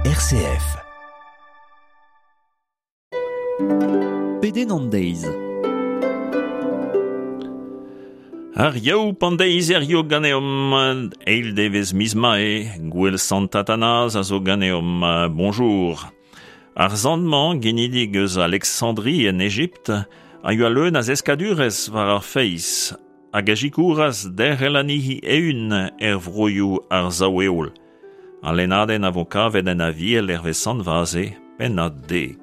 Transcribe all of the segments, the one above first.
RCF. Pedenn an deiz. Ar yaou pan deiz er ganeomp, eil devez miz mae, gouel Sant Athanase a zo ganeomp, bonjour. Ar zant-mañ, genidik eus Alexandrie en Ejipt, a yoa leun a zeskadurez war ar feiz, hag a zikouras derc'hel anezhi eeun er vroioù ar sav-heol. Al lennadenn a vo kavet en Aviel hervez Sant Vaze, pennad dek.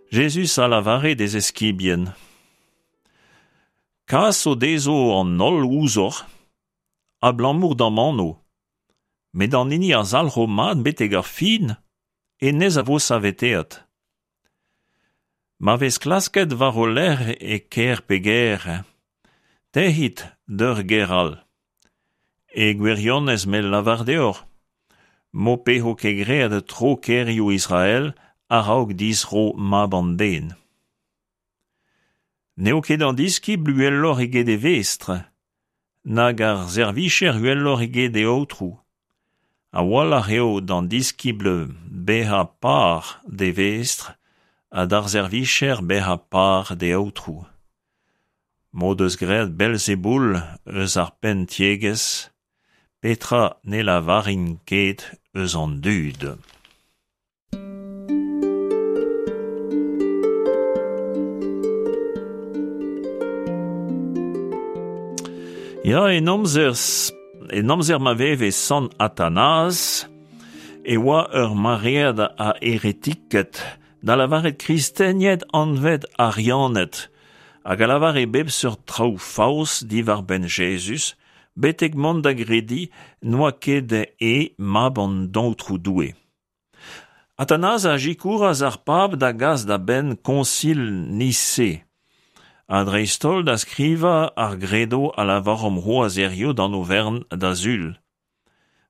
Jezuz a lavare d'e zeskibien: Kas o dezo an holl ouzhoc'h, abalamour d'am anv. Met an hini a zalc'ho mat betek ar fin, hennezh a vo saveteet. Ma vez klasket war ho lerc'h e kêr pe gêr, tec'hit d'ur gêr all. E gwirionez me lavar deoc'h, m'ho pezo ket graet tro kêrioù Israel a-raok distro Mab an Den. N'eo ket an diskibl uheloc'h eget e vestr, nag ar servijer uheloc'h eget e aotrou. A-walc'h eo d'an diskibl bezañ par d'e vestr ha d'ar servijer bezañ par d'e aotrou. M'o deus graet Belzeboul eus ar penn-tiegezh, petra ne lavarin ket eus an dud. Ya, en amzer, en amzer ma veve Sant Athanase, e oa ur maread a heretiked, da lavaret kristenied anvet Arianed, hag a lavare bep seurt traoù faos diwar-benn Jezuz, betek mont da grediñ n'oa ket e mab an Aotrou Doue. Athanase a sikouras ar pab da gas da benn koñsil Nise, ha dreist-holl da skrivañ ar gredo a lavaromp c'hoazh hiziv d'an overn da Sul.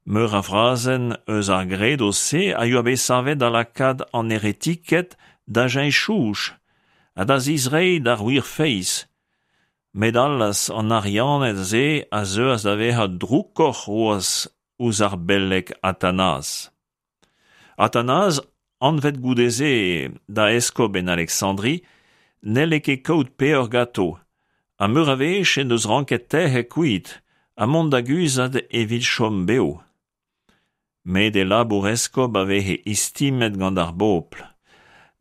Meur a frazenn eus ar gredo-se a yoa bet savet da lakaat an heretiked da cheñch soñj ha da zizreiñ d'ar wir feiz. Met allaz, an Arianed-se a zeuas da vezañ droukoc'h c'hoazh ouzh ar beleg Athanase. Athanase, anvet goude-se da eskob en Aleksandri, n'helle ket kaout peoc'h ganto, ha meur a wech en deus ranket tec'het kuit ha mont da guzhat evit chom bev. Met e labour eskob a veze istimet gant ar bobl,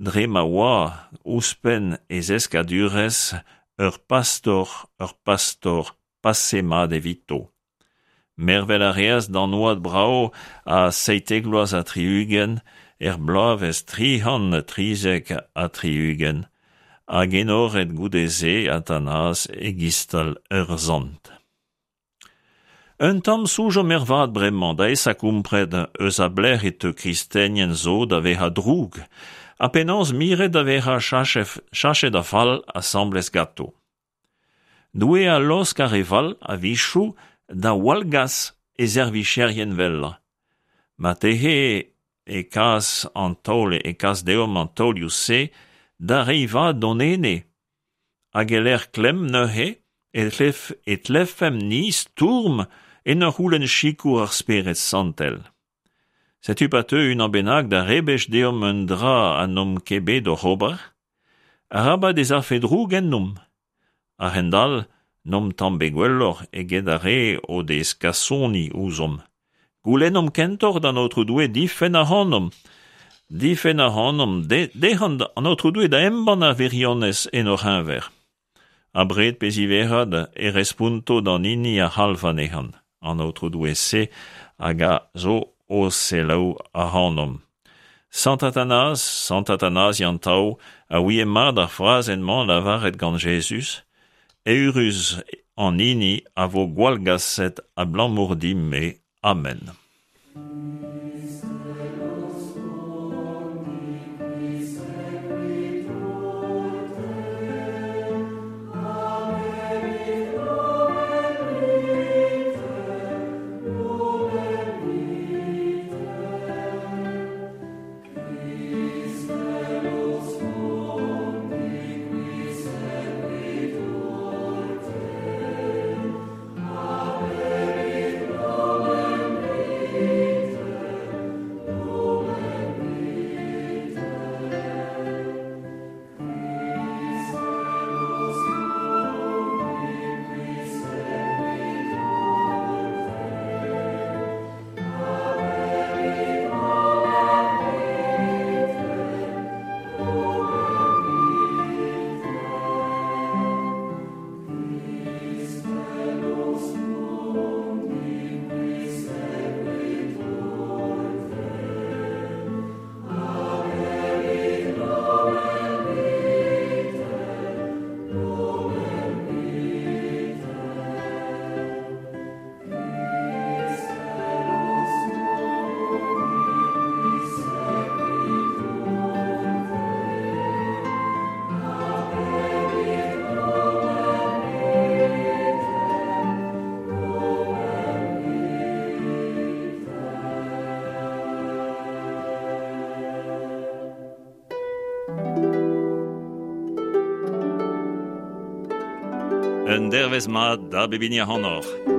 dre ma oa, ouzhpenn e zeskadurezh, ur pastor, ur pastor pase mat evito. Mervel a reas d'an oad brav a 77 vloaz er bloavezh 373, hag enoret goude-se Athanase e-gistal ur sant. Un tamm soñjomp ervat bremañ da aesañ kompren eus a belec'h e teu kristenien zo da vezañ droug ha penaos miret da vezañ chachet a-fall asambles ganto. Doue a laosk ar re fall a-wechoù da wallgas e servijerien wellañ. Marteze e kas an taol e kas deomp an taolioù-se da reiñ vad d'hon ene. Hag e-lec'h klemm neuze e tlef e tlefemp-ni stourm en ur c'houlenn sikour ar Spered Santel. Setu pa teu unan bennak da rebech deomp un dra ha n'omp ket bet oc'h ober, arabat ez afe droug ennomp. A-hend-all n'omp tamm bet gwelloc'h eget ar re o dez kasoni ouzhomp. Goulennomp kentoc'h d'an Aotrou Doue difenn ac'hanomp. Difenn ac'hanomp dezhañ an Aotrou Doue da embann ar wirionez en hor c'heñver. Abred pe ziwezhat e responto d'an hini a c'halv anezhañ, an Aotrou Doue-se hag a zo o selaou ac'hanomp. Sant Athanase, Sant Athanase Yantav, a ouie mat ar frazenn-mañ lavaret gant Jezuz, Eürus an hini a vo gwallgaset abalamour din-me. Amen. Un dervezh mat da bep hini ac'hanoc'h.